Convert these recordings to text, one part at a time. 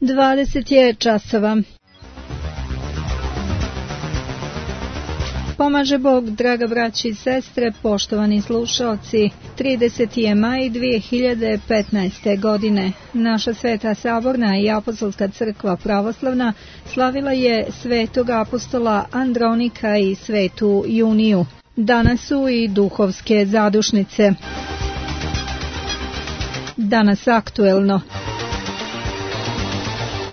20 je časova. Pomaže Bog, draga braći i sestre, poštovani slušaoci. 30. je maj 2015. godine. Naša Sveta Saborna i Apostolska crkva pravoslavna slavila je svetog apostola Andronika i svetu Juniju. Danas su i duhovske zadušnice. Danas aktuelno.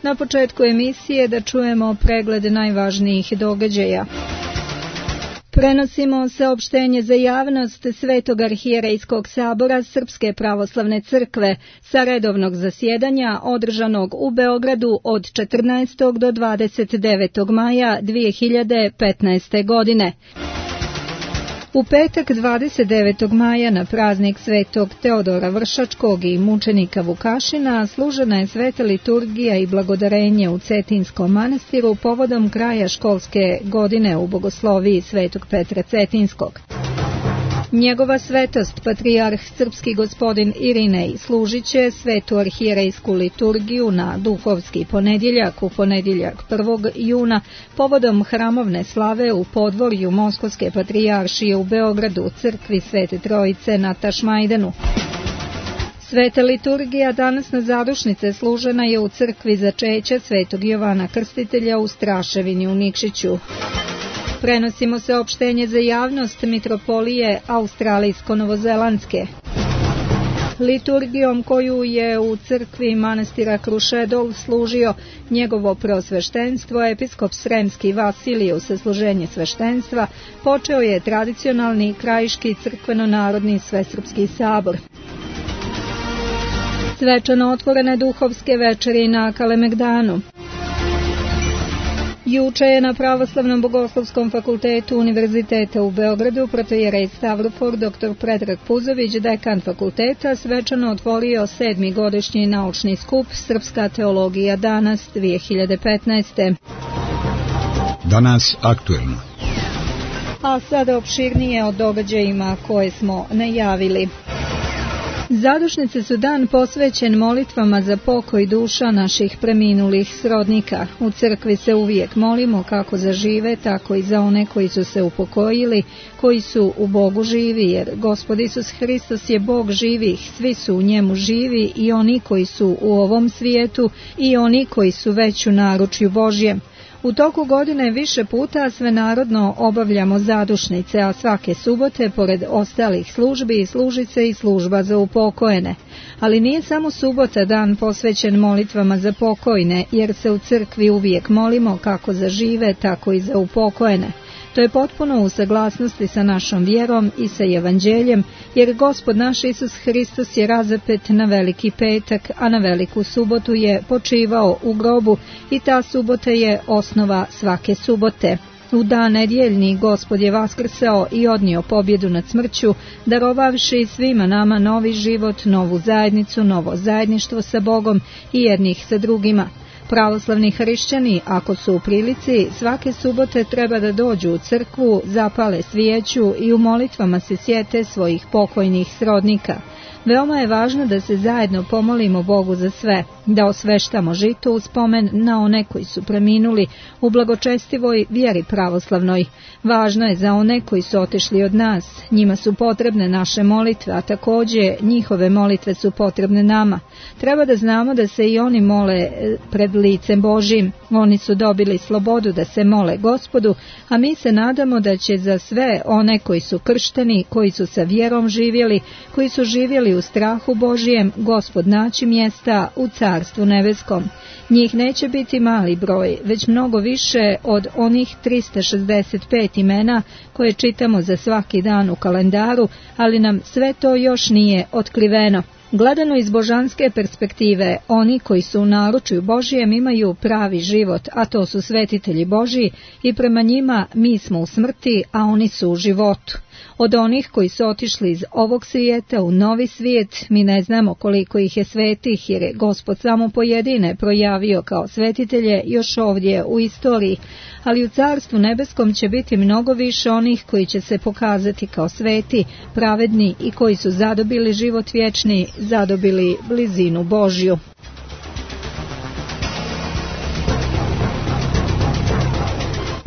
Na početku emisije da čujemo pregled najvažnijih događaja. Prenosimo saopštenje za javnost Svetog arhijerejskog sabora Srpske pravoslavne crkve sa redovnog zasjedanja održanog u Beogradu od 14. do 29. maja 2015. godine. U petak 29. maja na praznik Svetog Teodora Vršačkog i mučenika Vukašina služena je sveta liturgija i blagodarenje u Cetinskom manastiru povodom kraja školske godine u bogosloviji Svetog Petra Cetinskog. Njegova svetost, patrijarh srpski gospodin Irinej, služit će svetu arhijerejsku liturgiju na duhovski ponedjeljak, u ponedjeljak 1. juna, povodom hramovne slave u podvorju Moskovske patrijaršije u Beogradu, u crkvi Svete Trojice na Tašmajdanu. Sveta liturgija danas na zadušnice služena je u crkvi Začeća Svetog Jovana Krstitelja u Straševini u Nikšiću. Prenosimo saopštenje za javnost mitropolije Australijsko-Novozelandske. Liturgijom koju je u crkvi manastira Krušedol služio njegovo preosveštenstvo, episkop Sremski Vasiliju sa služenje sveštenstva, počeo je tradicionalni krajiški crkveno-narodni svesrpski sabor. Svečano otvorene duhovske večeri na Kalemegdanu. Juče je na Pravoslavnom bogoslovskom fakultetu Univerziteta u Beogradu protojerej Stavrofor dr. Predrag Puzović, dekan fakulteta, svečano otvorio 7. godišnji naučni skup Srpska teologija danas 2015. Danas aktuelno. A sada opširnije o događajima koje smo najavili. Zadušnice su dan posvećen molitvama za pokoj duša naših preminulih srodnika. U crkvi se uvijek molimo kako za žive, tako i za one koji su se upokojili, koji su u Bogu živi, jer Gospod Isus Hristos je Bog živih, svi su u njemu živi, i oni koji su u ovom svijetu i oni koji su već u naručju Božjem. U toku godine više puta svenarodno obavljamo zadušnice, a svake subote, pored ostalih službi, služi se i služba za upokojene. Ali nije samo subota dan posvećen molitvama za pokojne, jer se u crkvi uvijek molimo kako za žive, tako i za upokojene. To je potpuno u saglasnosti sa našom vjerom i sa evanđeljem, jer Gospod naš Isus Hristos je razapet na Veliki petak, a na Veliku subotu je počivao u grobu i ta subota je osnova svake subote. U dan nedjeljni Gospod je vaskrsao i odnio pobjedu nad smrću, darovavši svima nama novi život, novu zajednicu, novo zajedništvo sa Bogom i jednih sa drugima. Pravoslavni hrišćani, ako su u prilici, svake subote treba da dođu u crkvu, zapale svijeću i u molitvama se sjete svojih pokojnih srodnika. Veoma je važno da se zajedno pomolimo Bogu za sve, da osveštamo žito u spomen na one koji su preminuli u blagočestivoj vjeri pravoslavnoj. Važno je za one koji su otišli od nas, njima su potrebne naše molitve, a također njihove molitve su potrebne nama. Treba da znamo da se i oni mole pred licem Božjim, oni su dobili slobodu da se mole Gospodu, a mi se nadamo da će za sve one koji su kršteni, koji su sa vjerom živjeli, koji su živjeli u strahu Božijem, Gospod naći mjesta u Carstvu nebeskom. Njih neće biti mali broj, već mnogo više od onih 365 imena koje čitamo za svaki dan u kalendaru, ali nam sve to još nije otkriveno. Gledano iz božanske perspektive, oni koji su u naručju Božijem imaju pravi život, a to su svetitelji Božji, i prema njima mi smo u smrti, a oni su u životu. Od onih koji su otišli iz ovog svijeta u novi svijet, mi ne znamo koliko ih je svetih, jer je Gospod samo pojedine projavio kao svetitelje još ovdje u istoriji, ali u Carstvu nebeskom će biti mnogo više onih koji će se pokazati kao sveti, pravedni i koji su zadobili život vječni, zadobili blizinu Božju.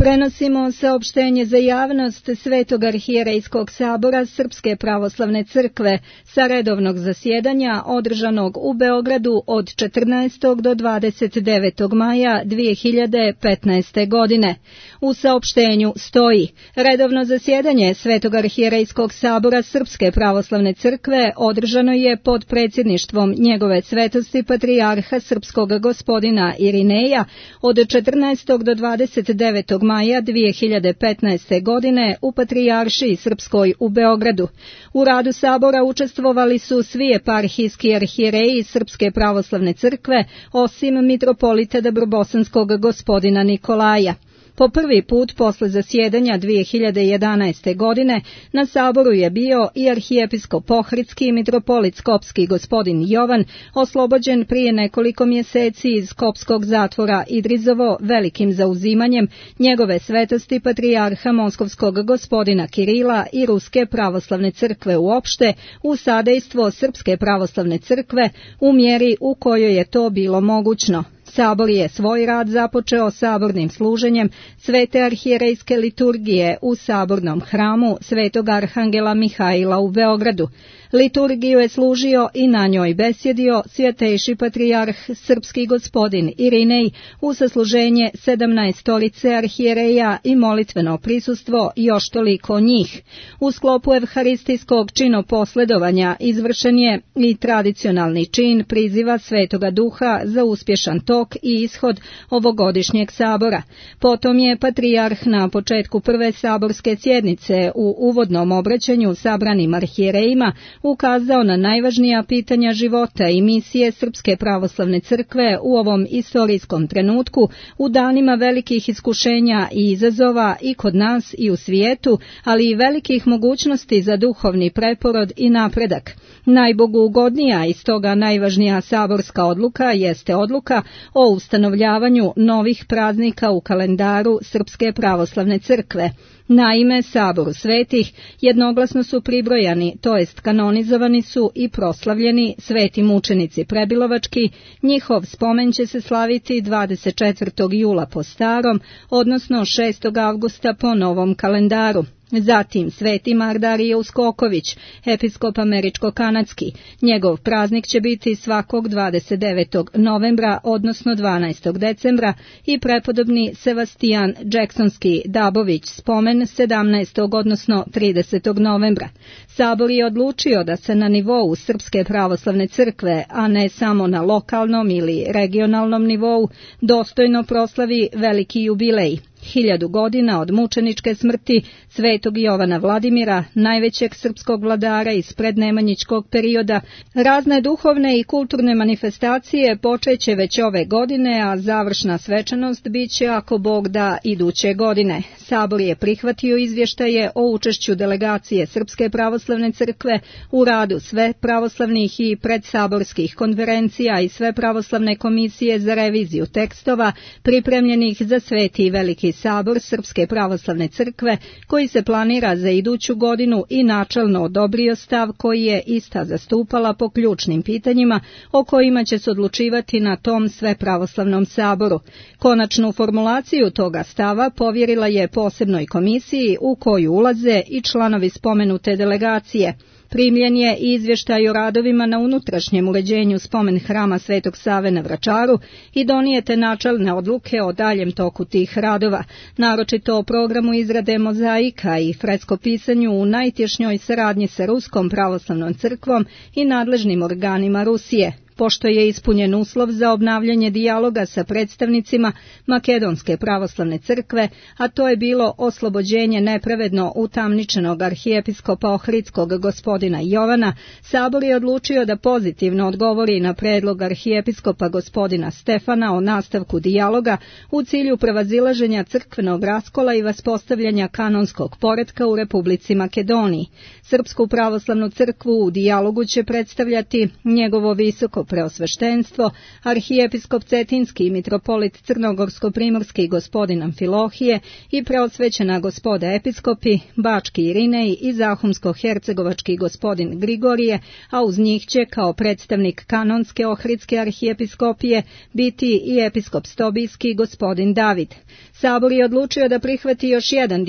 Prenosimo saopštenje za javnost Svetog arhijerejskog sabora Srpske pravoslavne crkve sa redovnog zasjedanja održanog u Beogradu od 14. do 29. maja 2015. godine. U saopštenju stoji: redovno zasjedanje Svetog arhijerejskog sabora Srpske pravoslavne crkve održano je pod predsjedništvom njegove svetosti patrijarha srpskog gospodina Irineja od 14. do 29. maja 2015. godine u Patrijaršiji Srpskoj u Beogradu. U radu sabora učestvovali su svi eparhijski arhijereji Srpske pravoslavne crkve, osim mitropolita Dabrobosanskog gospodina Nikolaja. Po prvi put posle zasjedanja 2011. godine na saboru je bio i arhijepiskop Ohridski i mitropolit Skopski gospodin Jovan, oslobođen prije nekoliko mjeseci iz skopskog zatvora Idrizovo velikim zauzimanjem njegove svetosti patrijarha moskovskog gospodina Kirila i Ruske pravoslavne crkve uopšte u sadejstvo Srpske pravoslavne crkve u mjeri u kojoj je to bilo mogućno. Sabor je svoj rad započeo sabornim služenjem Svete arhijerejske liturgije u sabornom hramu Svetog arhangela Mihajla u Beogradu. Liturgiju je služio i na njoj besjedio svjetejši patrijarh srpski gospodin Irinej u sasluženje 17 stolice arhijereja i molitveno prisustvo još toliko njih. U sklopu evharistijskog činoposledovanja izvršen je i tradicionalni čin priziva Svetoga Duha za uspješan tok i ishod ovogodišnjeg sabora. Potom je patrijarh na početku prve saborske sjednice u uvodnom obraćanju sabranim arhijerejima ukazao na najvažnija pitanja života i misije Srpske pravoslavne crkve u ovom istorijskom trenutku, u danima velikih iskušenja i izazova i kod nas i u svijetu, ali i velikih mogućnosti za duhovni preporod i napredak. Najboguugodnija i stoga najvažnija saborska odluka jeste odluka o ustanovljavanju novih praznika u kalendaru Srpske pravoslavne crkve. Naime, saboru svetih jednoglasno su pribrojani, to jest kanonizovani su i proslavljeni sveti mučenici Prebilovački. Njihov spomen će se slaviti 24. jula po starom, odnosno 6. avgusta po novom kalendaru. Zatim sveti Mardarije Uskoković, episkop američko-kanadski. Njegov praznik će biti svakog 29. novembra, odnosno 12. decembra i prepodobni Sebastian Jacksonski Dabović spomen 17. odnosno 30. novembra. Sabor je odlučio da se na nivou Srpske pravoslavne crkve, a ne samo na lokalnom ili regionalnom nivou, dostojno proslavi veliki jubilej. 1000 godina od mučeničke smrti Svetog Jovana Vladimira, najvećeg srpskog vladara iz prednemanjičkog perioda. Razne duhovne i kulturne manifestacije počeće već ove godine, a završna svečanost biće, ako Bog da, iduće godine. Sabor je prihvatio izvještaje o učešću delegacije Srpske pravoslavne crkve u radu sve pravoslavnih i predsaborskih konferencija i sve pravoslavne komisije za reviziju tekstova pripremljenih za Sveti i Veliki sabor Srpske pravoslavne crkve, koji se planira za iduću godinu, i načelno odobrio stav koji je ista zastupala po ključnim pitanjima o kojima će se odlučivati na tom svepravoslavnom saboru. Konačnu formulaciju toga stava povjerila je posebnoj komisiji u koju ulaze i članovi spomenute delegacije. Primljen je i izvještaj o radovima na unutrašnjem uređenju spomen hrama Svetog Save na Vračaru i donijete načelne odluke o daljem toku tih radova, naročito o programu izrade mozaika i freskopisanju u najtješnjoj saradnji sa Ruskom pravoslavnom crkvom i nadležnim organima Rusije. Pošto je ispunjen uslov za obnavljanje dijaloga sa predstavnicima Makedonske pravoslavne crkve, a to je bilo oslobođenje nepravedno utamničenog arhijepiskopa Ohridskog gospodina Jovana, sabor je odlučio da pozitivno odgovori na predlog arhijepiskopa gospodina Stefana o nastavku dijaloga u cilju prevazilaženja crkvenog raskola i vaspostavljanja kanonskog poretka u Republici Makedoniji. Srpsku pravoslavnu crkvu u dijalogu će predstavljati njegovo visoko njegovo preosveštenstvo, arhijepiskop Cetinski i mitropolit Crnogorsko-primorski gospodin Amfilohije i preosvećena gospoda episkopi, Bački Irinej i Zahumsko-hercegovački gospodin Grigorije, a uz njih će kao predstavnik kanonske ohridske arhijepiskopije biti i episkop Stobijski gospodin David. Sabor je odlučio da prihvati još jedan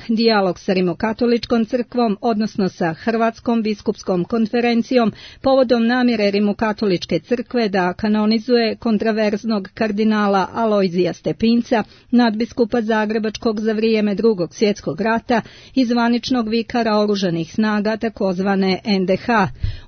dijalog sa Rimokatoličkom crkvom, odnosno sa Hrvatskom biskupskom konferencijom, povodom namjere Rimokatoličke crkve da kanonizuje kontraverznog kardinala Alojzija Stepinca, nadbiskupa Zagrebačkog za vrijeme Drugog svjetskog rata i zvaničnog vikara oružanih snaga takozvane NDH.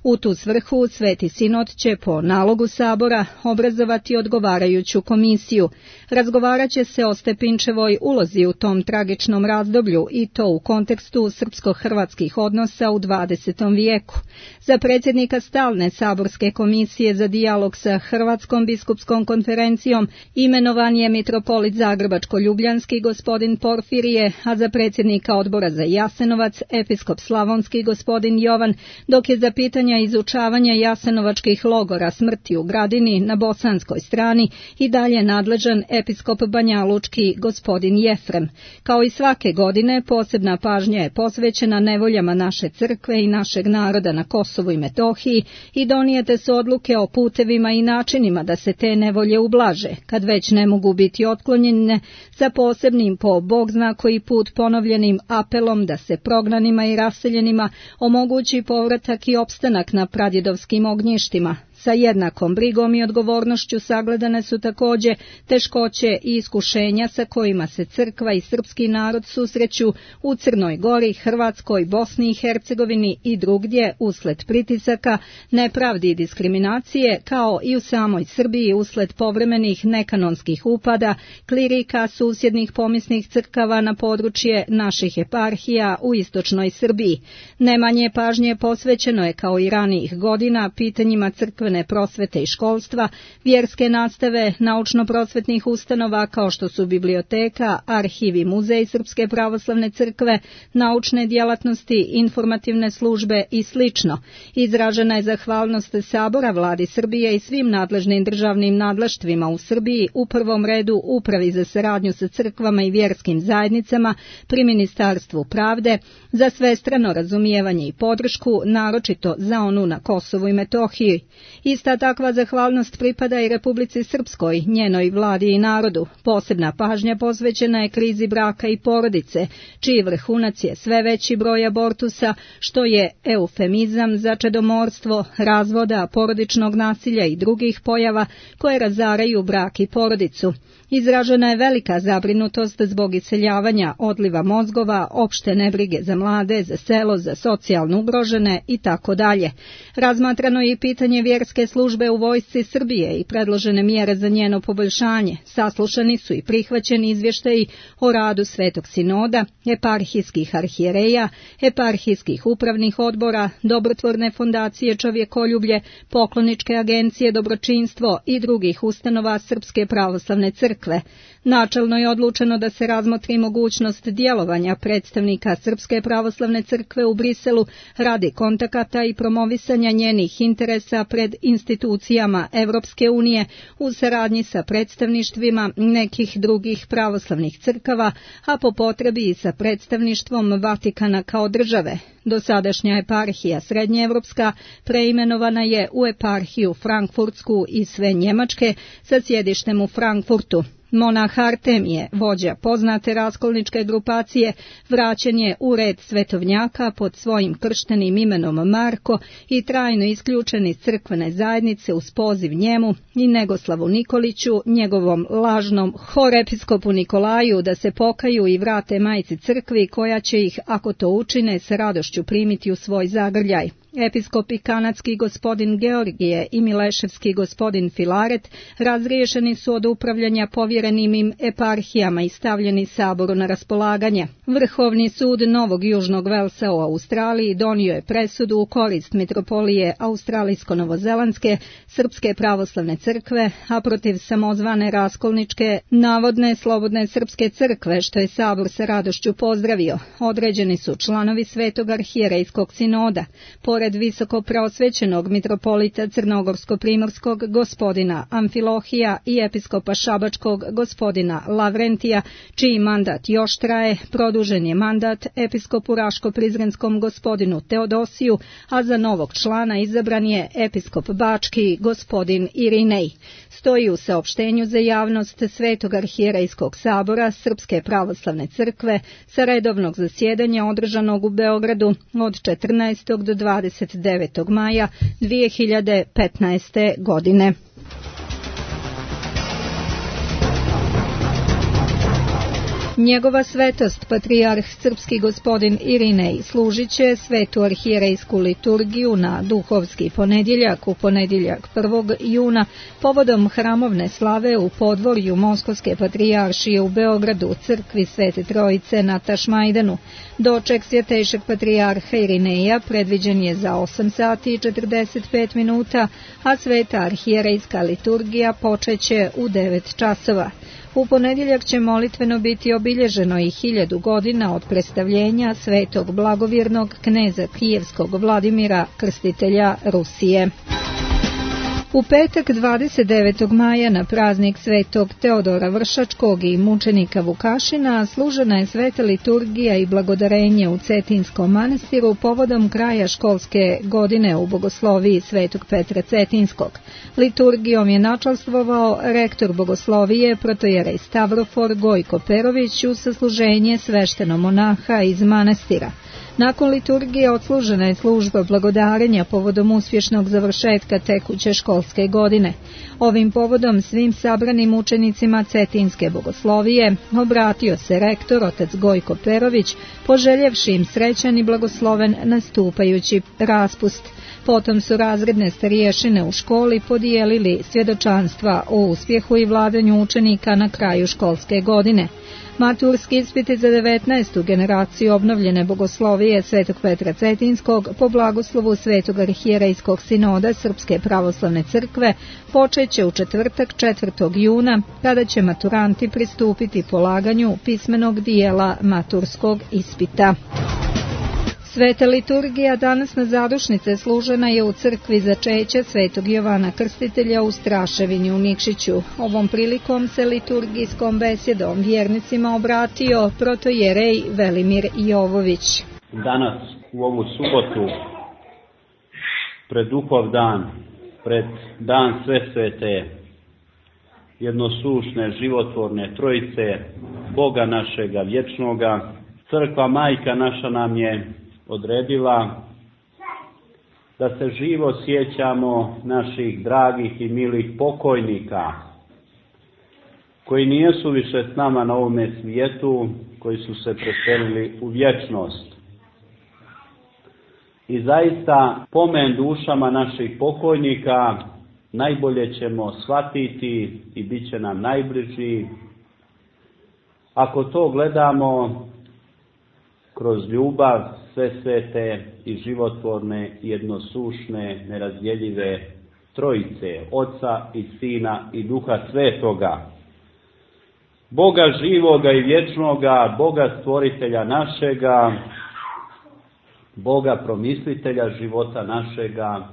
U tu svrhu Sveti Sinod će po nalogu Sabora obrazovati odgovarajuću komisiju. Razgovarat će se o Stepinčevoj ulozi u tom tragičnom razdoblju i to u kontekstu srpsko-hrvatskih odnosa u 20. vijeku. Za predsjednika stalne saborske komisije za dijalog sa Hrvatskom biskupskom konferencijom imenovan je mitropolit Zagrebačko-ljubljanski gospodin Porfirije, a za predsjednika odbora za Jasenovac episkop Slavonski gospodin Jovan, dok je za pitanja izučavanja jasenovačkih logora smrti u Gradini na bosanskoj strani i dalje nadležan episkop Banjalučki gospodin Jefrem. Kao i svake godine, posebna pažnja je posvećena nevoljama naše crkve i našeg naroda na Kosovu i Metohiji i donijete su odluke o putevima i načinima da se te nevolje ublaže, kad već ne mogu biti otklonjene, sa posebnim po Bog zna koji put ponovljenim apelom da se prognanima i raseljenima omogući povratak i opstanak na pradjedovskim ognjištima. Sa jednakom brigom i odgovornošću sagledane su također teškoće i iskušenja sa kojima se crkva i srpski narod susreću u Crnoj Gori, Hrvatskoj, Bosni i Hercegovini i drugdje usled pritisaka, nepravdi i diskriminacije, kao i u samoj Srbiji usled povremenih nekanonskih upada, klirika susjednih pomisnih crkava na područje naših eparhija u istočnoj Srbiji. Nemanje pažnje posvećeno je kao i ranijih godina pitanjima crkvene prosvete i školstva, vjerske nastave, naučno-prosvetnih ustanova kao što su biblioteka, arhivi, muzej Srpske pravoslavne crkve, naučne djelatnosti, informativne službe i sl. Izražena je zahvalnost Sabora Vladi Srbije i svim nadležnim državnim nadleštvima u Srbiji, u prvom redu Upravi za saradnju sa crkvama i vjerskim zajednicama pri Ministarstvu pravde, za svestrano razumijevanje i podršku, naročito za onu na Kosovu i Metohiji. Ista takva zahvalnost pripada i Republici Srpskoj, njenoj vladi i narodu. Posebna pažnja posvećena je krizi braka i porodice, čiji vrhunac je sve veći broj abortusa, što je eufemizam za čedomorstvo, razvoda, porodičnog nasilja i drugih pojava koje razaraju brak i porodicu. Izražena je velika zabrinutost zbog iseljavanja, odliva mozgova, opšte nebrige za mlade, za selo, za socijalno ugrožene itd. Razmatrano je i pitanje vjerske službe u vojsci Srbije i predložene mjere za njeno poboljšanje. Saslušani su i prihvaćeni izvještaji o radu Svetog Sinoda, eparhijskih arhijereja, eparhijskih upravnih odbora, dobrotvorne fondacije Čovjekoljublje, pokloničke agencije Dobročinstvo i drugih ustanova Srpske pravoslavne crkve. Načelno je odlučeno da se razmotri mogućnost djelovanja predstavnika Srpske pravoslavne crkve u Briselu radi kontakata i promovisanja njenih interesa pred institucijama Evropske unije u saradnji sa predstavništvima nekih drugih pravoslavnih crkava, a po potrebi i sa predstavništvom Vatikana kao države. Dosadašnja eparhija Srednjeevropska preimenovana je u eparhiju Frankfurtsku i sve Njemačke sa sjedištem u Frankfurtu. Monah Artemije, vođa poznate raskolničke grupacije, vraćen je u red svetovnjaka pod svojim krštenim imenom Marko i trajno isključen iz crkvene zajednice uz poziv njemu i Negoslavu Nikoliću, njegovom lažnom horepiskopu Nikolaju, da se pokaju i vrate majci crkvi koja će ih, ako to učine, s radošću primiti u svoj zagrljaj. Episkopi kanadski gospodin Georgije i mileševski gospodin Filaret razriješeni su od upravljanja povjerenim im eparhijama i stavljeni Saboru na raspolaganje. Vrhovni sud Novog Južnog Velsa u Australiji donio je presudu u korist mitropolije Australijsko-Novozelandske Srpske pravoslavne crkve, a protiv samozvane raskolničke navodne Slobodne Srpske crkve, što je Sabor sa radošću pozdravio. Određeni su članovi Svetog arhijerejskog sinoda. Pored pored visoko preosvećenog mitropolita Crnogorsko-primorskog gospodina Amfilohija i episkopa Šabačkog gospodina Lavrentija, čiji mandat još traje, produžen je mandat episkopu Raško-Prizrenskom gospodinu Teodosiju, a za novog člana izabran je episkop Bački gospodin Irinej. Stoji u saopštenju za javnost Svetog arhijerejskog sabora Srpske pravoslavne crkve sa redovnog zasjedanja održanog u Beogradu od 14. do 29. maja 2015. godine. Njegova svetost, patrijarh srpski gospodin Irinej, služit će svetu arhijerejsku liturgiju na duhovski ponedjeljak u ponedjeljak 1. juna povodom hramovne slave u podvorju Moskovske patrijaršije u Beogradu u crkvi Svete Trojice na Tašmajdanu. Doček svjetejšeg patrijarha Irineja predviđen je za 8 sati i 45 minuta, a sveta arhijerejska liturgija počeće u 9 časova. U ponedjeljak će molitveno biti obilježeno i 1000 godina od predstavljenja svetog blagovjernog kneza Kijevskog Vladimira, krstitelja Rusije. U petak 29. maja na praznik svetog Teodora Vršačkog i mučenika Vukašina služena je sveta liturgija i blagodarenje u Cetinskom manastiru povodom kraja školske godine u bogosloviji svetog Petra Cetinskog. Liturgijom je načastvovao rektor bogoslovije protojerej Stavrofor Gojko Perović uz sasluženje sveštenomonaha iz manastira. Nakon liturgije odslužena je služba blagodarenja povodom uspješnog završetka tekuće školske godine. Ovim povodom svim sabranim učenicima Cetinske bogoslovije obratio se rektor otac Gojko Perović, poželjevši im srećan i blagosloven nastupajući raspust. Potom su razredne stariješine u školi podijelili svjedočanstva o uspjehu i vladanju učenika na kraju školske godine. Maturski ispiti za 19. generaciju obnovljene bogoslovije Svetog Petra Cetinskog po blagoslovu Svetog arhijerejskog sinoda Srpske pravoslavne crkve počeće u četvrtak 4. juna, kada će maturanti pristupiti polaganju pismenog dijela maturskog ispita. Sveta liturgija danas na zadušnice služena je u crkvi začeća Svetog Jovana Krstitelja u Straševini u Nikšiću. Ovom prilikom se liturgijskom besjedom vjernicima obratio protojerej Velimir Jovović. Danas u ovu subotu, pred Duhov dan, pred dan sve svete, jednosušne, životvorne Trojice, Boga našega vječnoga, crkva majka naša nam je odredila da se živo sjećamo naših dragih i milih pokojnika koji nijesu više s nama na ovome svijetu, koji su se preselili u vječnost. I zaista pomen dušama naših pokojnika najbolje ćemo shvatiti i bit će nam najbliži ako to gledamo kroz ljubav sve svete i životvorne, jednosušne, nerazdjeljive Trojice, Oca i Sina i Duha Svetoga. Boga živoga i vječnoga, Boga stvoritelja našega, Boga promislitelja života našega,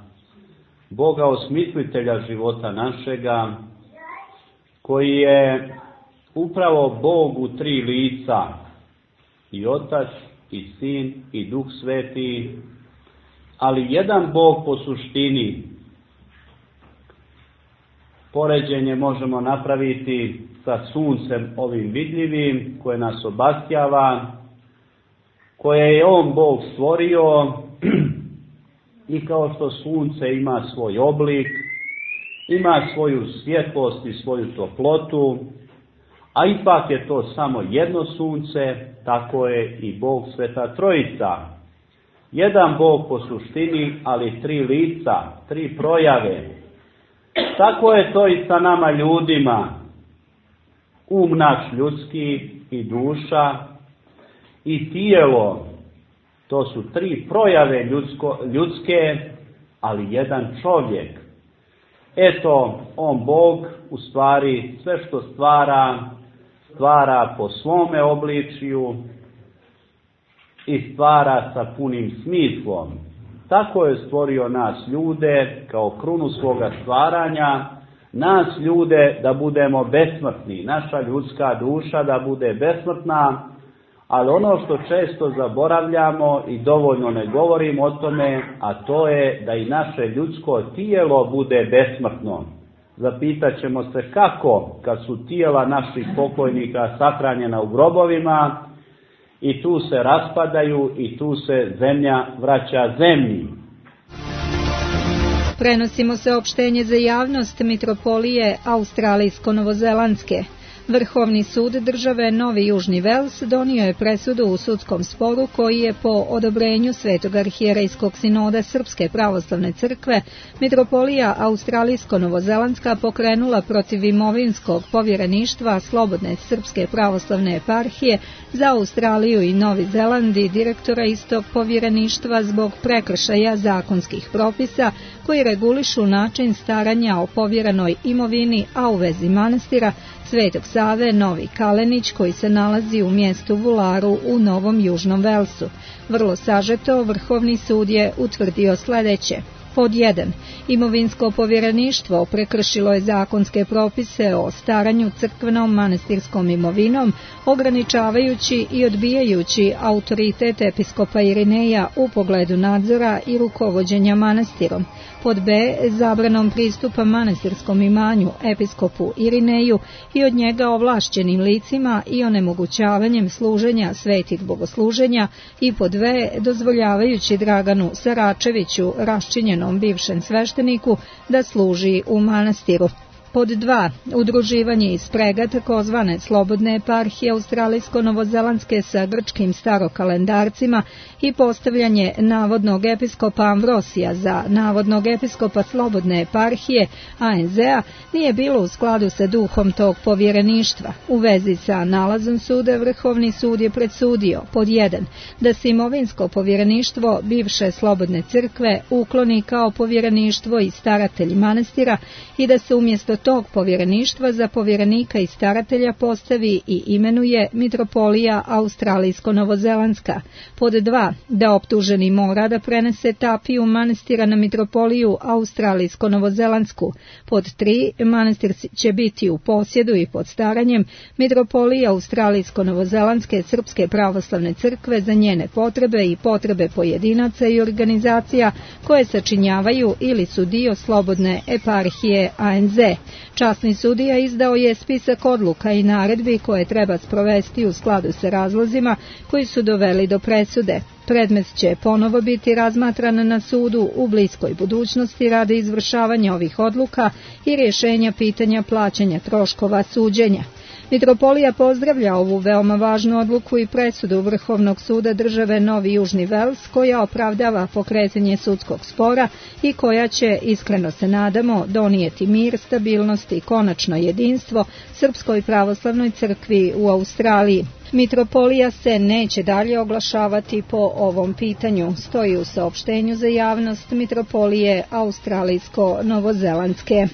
Boga osmislitelja života našega, koji je upravo Bog u 3 lica, i Otac, i Sin, i Duh Sveti, ali jedan Bog po suštini. Poređenje možemo napraviti sa suncem ovim vidljivim, koje nas obasjava, koje je on Bog stvorio i kao što sunce ima svoj oblik, ima svoju svjetlost i svoju toplotu, a ipak je to samo jedno sunce, tako je i Bog Sveta Trojica. Jedan Bog po suštini, ali 3 lica, 3 projave. Tako je to i sa nama ljudima. Um naš ljudski i duša i tijelo, to su 3 projave ljudske, ali jedan čovjek. Eto, on Bog u stvari sve što stvara po svome obličju i stvara sa punim smislom. Tako je stvorio nas ljude kao krunu svoga stvaranja, nas ljude da budemo besmrtni, naša ljudska duša da bude besmrtna, ali ono što često zaboravljamo i dovoljno ne govorimo o tome, a to je da i naše ljudsko tijelo bude besmrtno. Zapitat ćemo se kako, kad su tijela naših pokojnika sahranjena u grobovima i tu se raspadaju i tu se zemlja vraća zemlji. Prenosimo saopštenje za javnost Mitropolije Australijsko-Novozelandske. Vrhovni sud države Novi Južni Vels donio je presudu u sudskom sporu koji je po odobrenju Svetog arhijerejskog sinoda Srpske pravoslavne crkve Mitropolija Australijsko-Novozelandska pokrenula protiv imovinskog povjereništva Slobodne Srpske pravoslavne eparhije za Australiju i Novi Zeland i direktora istog povjereništva zbog prekršaja zakonskih propisa koji regulišu način staranja o povjerenoj imovini, a u vezi manastira Svetog Save Novi Kalenić koji se nalazi u mjestu Vularu u Novom Južnom Velsu. Vrlo sažeto, Vrhovni sud je utvrdio sljedeće. Pod 1. Imovinsko povjereništvo prekršilo je zakonske propise o staranju crkvenom manastirskom imovinom, ograničavajući i odbijajući autoritet episkopa Irineja u pogledu nadzora i rukovođenja manastirom. Pod B. Zabranom pristupa manastirskom imanju episkopu Irineju i od njega ovlašćenim licima i onemogućavanjem služenja svetih bogosluženja i pod V. Dozvoljavajući Draganu Saračeviću, raščinjenom bivšem svešteniku, da služi u manastiru. Pod 2. Udruživanje i sprega takozvane Slobodne eparhije Australijsko-Novozelandske sa grčkim starokalendarcima i postavljanje navodnog episkopa Ambrosija za navodnog episkopa Slobodne eparhije ANZ-a nije bilo u skladu sa duhom tog povjereništva. U vezi sa nalazom suda Vrhovni sud je predsudio pod 1. da se imovinsko povjereništvo bivše Slobodne crkve ukloni kao povjereništvo i staratelj manastira i da se umjesto tog povjereništva za povjerenika i staratelja postavi i imenuje Mitropolija Australijsko-Novozelandska. Pod 2. da optuženi mora da prenese tapiju manastira na Mitropoliju Australijsko-Novozelandsku. Pod 3. manastir će biti u posjedu i pod staranjem Mitropolije Australijsko-Novozelandske Srpske pravoslavne crkve za njene potrebe i potrebe pojedinaca i organizacija koje sačinjavaju ili su dio Slobodne eparhije ANZ. Časni sudija izdao je spisak odluka i naredbi koje treba sprovesti u skladu sa razlozima koji su doveli do presude. Predmet će ponovo biti razmatran na sudu u bliskoj budućnosti radi izvršavanja ovih odluka i rješenja pitanja plaćanja troškova suđenja. Mitropolija pozdravlja ovu veoma važnu odluku i presudu Vrhovnog suda države Novi Južni Vels koja opravdava pokretanje sudskog spora i koja će, iskreno se nadamo, donijeti mir, stabilnost i konačno jedinstvo Srpskoj pravoslavnoj crkvi u Australiji. Mitropolija se neće dalje oglašavati po ovom pitanju, stoji u saopštenju za javnost Mitropolije Australijsko-Novozelandske.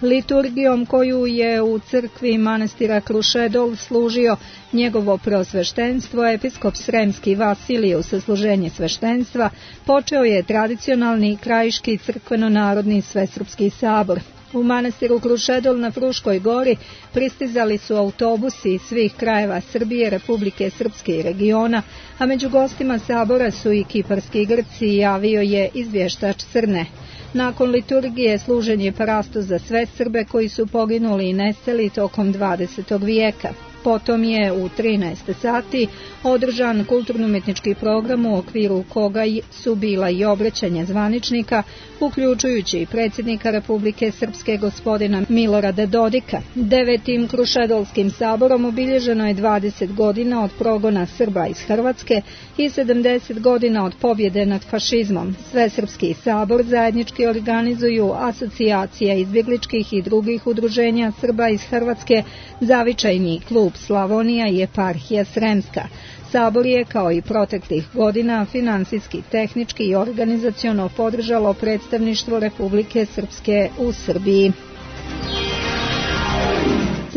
Liturgijom koju je u crkvi manastira Krušedol služio njegovo preosveštenstvo, episkop Sremski Vasilije u sasluženje sveštenstva, počeo je tradicionalni krajiški crkveno-narodni svesrpski sabor. U manastiru Krušedol na Fruškoj gori pristizali su autobusi iz svih krajeva Srbije, Republike Srpske i regiona, a među gostima sabora su i kiparski Grci, javio je izvještač Crne. Nakon liturgije služen je parasto za sve Srbe koji su poginuli i nestali tokom 20. vijeka. Potom je u 13 sati održan kulturno-umjetnički program u okviru koga su bila i obraćanja zvaničnika, uključujući i predsjednika Republike Srpske gospodina Milorada Dodika. 9. Krušedolskim saborom obilježeno je 20 godina od progona Srba iz Hrvatske i 70 godina od pobjede nad fašizmom. Svesrpski sabor zajednički organizuju asocijacija izbjegličkih i drugih udruženja Srba iz Hrvatske, Zavičajni klub Slavonija i eparhija Sremska. Sabor je, kao i proteklih godina, finansijski, tehnički i organizaciono podržalo predstavništvo Republike Srpske u Srbiji.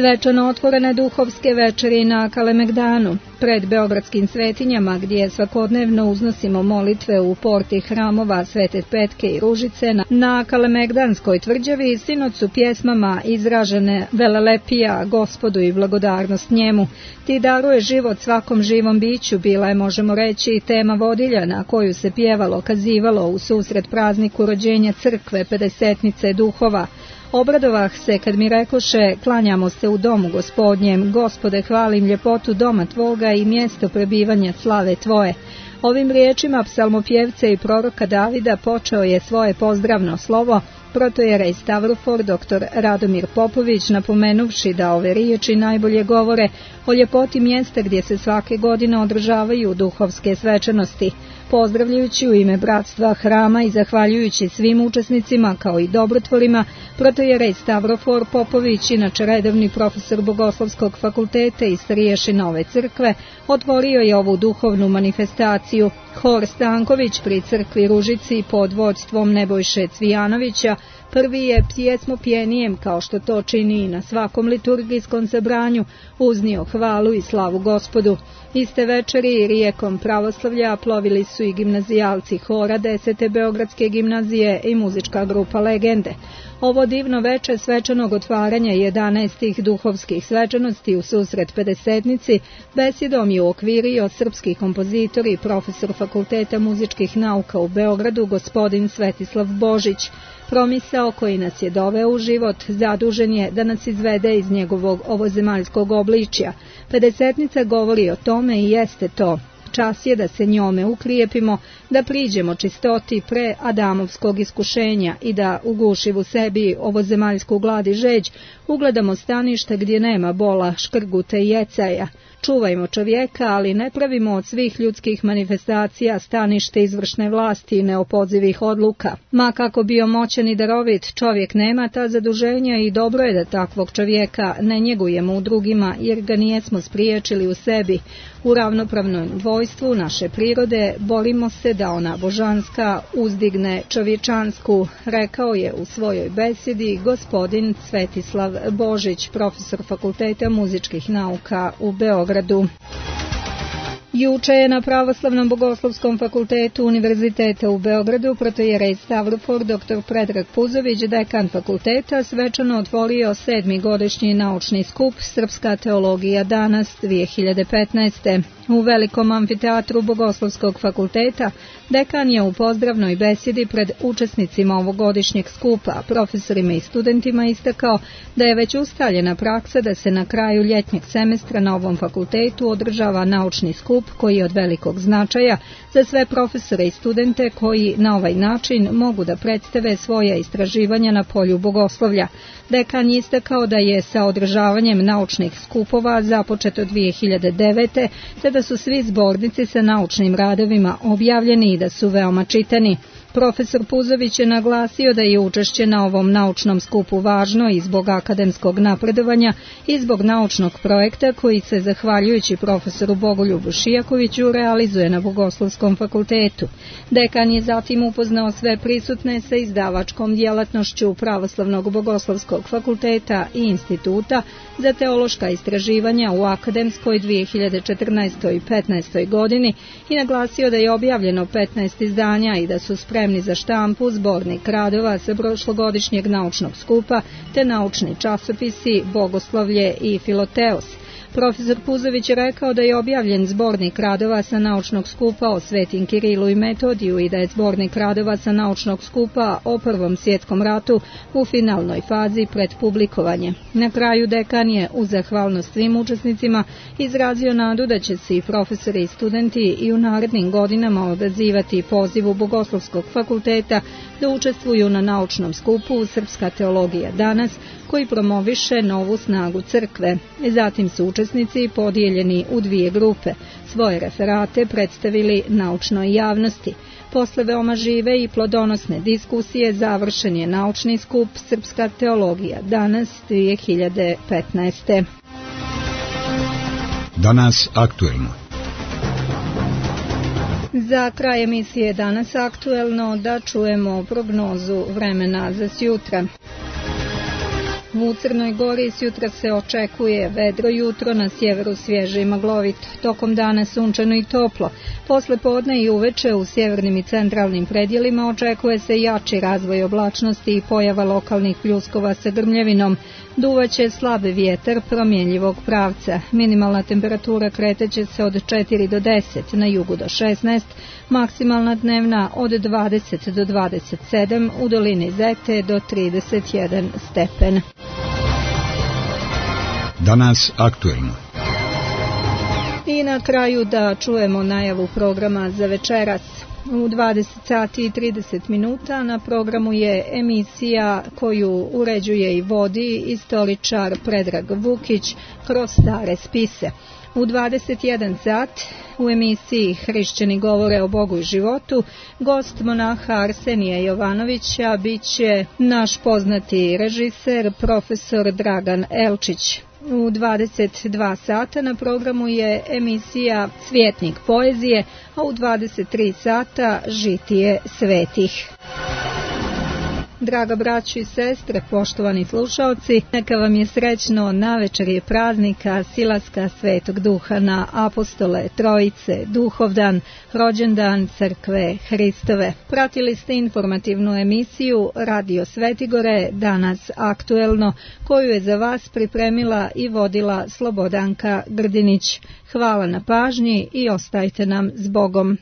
Svečano otvorene duhovske večeri na Kalemegdanu, pred beogradskim svetinjama gdje svakodnevno uznosimo molitve u porti hramova Svete Petke i Ružice, na Kalemegdanskoj tvrđavi sinoć su pjesmama izražene velelepija Gospodu i blagodarnost njemu. Ti daruje život svakom živom biću, bila je, možemo reći, tema vodilja na koju se pjevalo, kazivalo u susret prazniku rođenja crkve Pedesetnice duhova. Obradovah se kad mi rekoše, klanjamo se u domu Gospodnjem, Gospode, hvalim ljepotu doma Tvoga i mjesto prebivanja slave Tvoje. Ovim riječima psalmopjevca i proroka Davida počeo je svoje pozdravno slovo protojerej Stavrofor dr. Radomir Popović, napomenuvši da ove riječi najbolje govore o ljepoti mjesta gdje se svake godine održavaju duhovske svečanosti. Pozdravljajući u ime bratstva hrama i zahvaljujući svim učesnicima kao i dobrotvorima, protojerej Stavrofor Popović, inače redovni profesor Bogoslovskog fakulteta i starješina ove crkve, otvorio je ovu duhovnu manifestaciju. Hor Stanković pri crkvi Ružici pod vodstvom Nebojše Cvijanovića prvi je pjesmopjenijem, kao što to čini i na svakom liturgijskom sabranju, uznio hvalu i slavu Gospodu. Iste večeri rijekom pravoslavlja plovili su i gimnazijalci hora 10. Beogradske gimnazije i muzička grupa Legende. Ovo divno veče svečanog otvaranja 11. duhovskih svečanosti u susret Pedesetnici besedom je uokvirio srpski kompozitor i profesor Fakulteta muzičkih nauka u Beogradu gospodin Svetislav Božić. Promisao koji nas je doveo u život zadužen je da nas izvede iz njegovog ovozemaljskog obličja. Pedesetnica govori o tome i jeste to. Čas je da se njome uklijepimo, da priđemo čistoti pre Adamovskog iskušenja i da, ugušiv u sebi ovozemaljsku glad i žeđ, ugledamo stanište gdje nema bola, škrguta i jecaja. Čuvajmo čovjeka, ali ne pravimo od svih ljudskih manifestacija stanište izvršne vlasti i neopozivih odluka. Ma kako bio moćan i darovit, čovjek nema ta zaduženja i dobro je da takvog čovjeka ne njegujemo u drugima, jer ga nijesmo spriječili u sebi. U ravnopravnom dvojstvu naše prirode borimo se da ona božanska uzdigne čovječansku, rekao je u svojoj besedi gospodin Svetislav Božić, profesor Fakulteta muzičkih nauka u Beogradu. Juče je na Pravoslavnom bogoslovskom fakultetu Univerziteta u Beogradu protojerej Stavrofor dr. Predrag Puzović, dekan fakulteta, svečano otvorio 7. godišnji naučni skup Srpska teologija danas 2015. U velikom amfiteatru Bogoslovskog fakulteta dekan je u pozdravnoj besedi pred učesnicima ovogodišnjeg skupa, profesorima i studentima istakao da je već ustaljena praksa da se na kraju ljetnjeg semestra na ovom fakultetu održava naučni skup koji je od velikog značaja za sve profesore i studente koji na ovaj način mogu da predstave svoja istraživanja na polju bogoslovlja. Dekan je istakao da je sa održavanjem naučnih skupova započeto 2009. te da su svi zbornici sa naučnim radovima objavljeni i da su veoma čitani. Profesor Puzović je naglasio da je učešće na ovom naučnom skupu važno i zbog akademskog napredovanja i zbog naučnog projekta koji se, zahvaljujući profesoru Bogoljubu Šijakoviću, realizuje na Bogoslovskom fakultetu. Dekan je zatim upoznao sve prisutne sa izdavačkom djelatnošću Pravoslavnog bogoslovskog fakulteta i instituta za teološka istraživanja u akademskoj 2014. i 2015. godini i naglasio da je objavljeno 15 izdanja i da su spremni za štampu zbornik radova sa prošlogodišnjeg naučnog skupa te naučni časopisi Bogoslovlje i Filoteos. Profesor Puzović je rekao da je objavljen zbornik radova sa naučnog skupa o Svetim Kirilu i Metodiju i da je zbornik radova sa naučnog skupa o Prvom svjetskom ratu u finalnoj fazi pred publikovanje. Na kraju dekan je u zahvalnost svim učesnicima izrazio nadu da će se i profesori i studenti i u narednim godinama odazivati pozivu Bogoslovskog fakulteta da učestvuju na naučnom skupu Srpska teologija danas, koji promoviše novu snagu crkve. Zatim su učesnici podijeljeni u dvije grupe. Svoje referate predstavili naučnoj javnosti. Posle veoma žive i plodonosne diskusije završen je naučni skup Srpska teologija danas 2015. Danas aktuelno. Za kraj emisije Danas aktuelno da čujemo prognozu vremena za sjutra. U Crnoj Gori sjutra se očekuje vedro jutro, na sjeveru svježe i maglovito. Tokom dana sunčano i toplo. Posle podne i uveče u sjevernim i centralnim predjelima očekuje se jači razvoj oblačnosti i pojava lokalnih pljuskova sa grmljevinom. Duvaće slab vjetar promjenjivog pravca. Minimalna temperatura kreteće se od 4 do 10, na jugu do 16, maksimalna dnevna od 20 do 27, u dolini Zete do 31 stepen. Danas aktuelno. I na kraju da čujemo najavu programa za večeras. U 20 sati i 30 minuta na programu je emisija koju uređuje i vodi istoričar Predrag Vukić kroz stare spise. U 21 sat u emisiji Hrišćani govore o Bogu i životu gost monaha Arsenija Jovanovića biće naš poznati režiser profesor Dragan Elčić. U 22 sata na programu je emisija Svjetnik poezije, a u 23 sata Žitije svetih. Draga braćo i sestre, poštovani slušaoci, neka vam je srećno navečerje praznika Silaska Svetog Duha na Apostole Trojice, Duhovdan, rođendan Crkve Hristove. Pratili ste informativnu emisiju Radio Svetigore, danas aktuelno, koju je za vas pripremila i vodila Slobodanka Grdinić. Hvala na pažnji i ostajte nam s Bogom.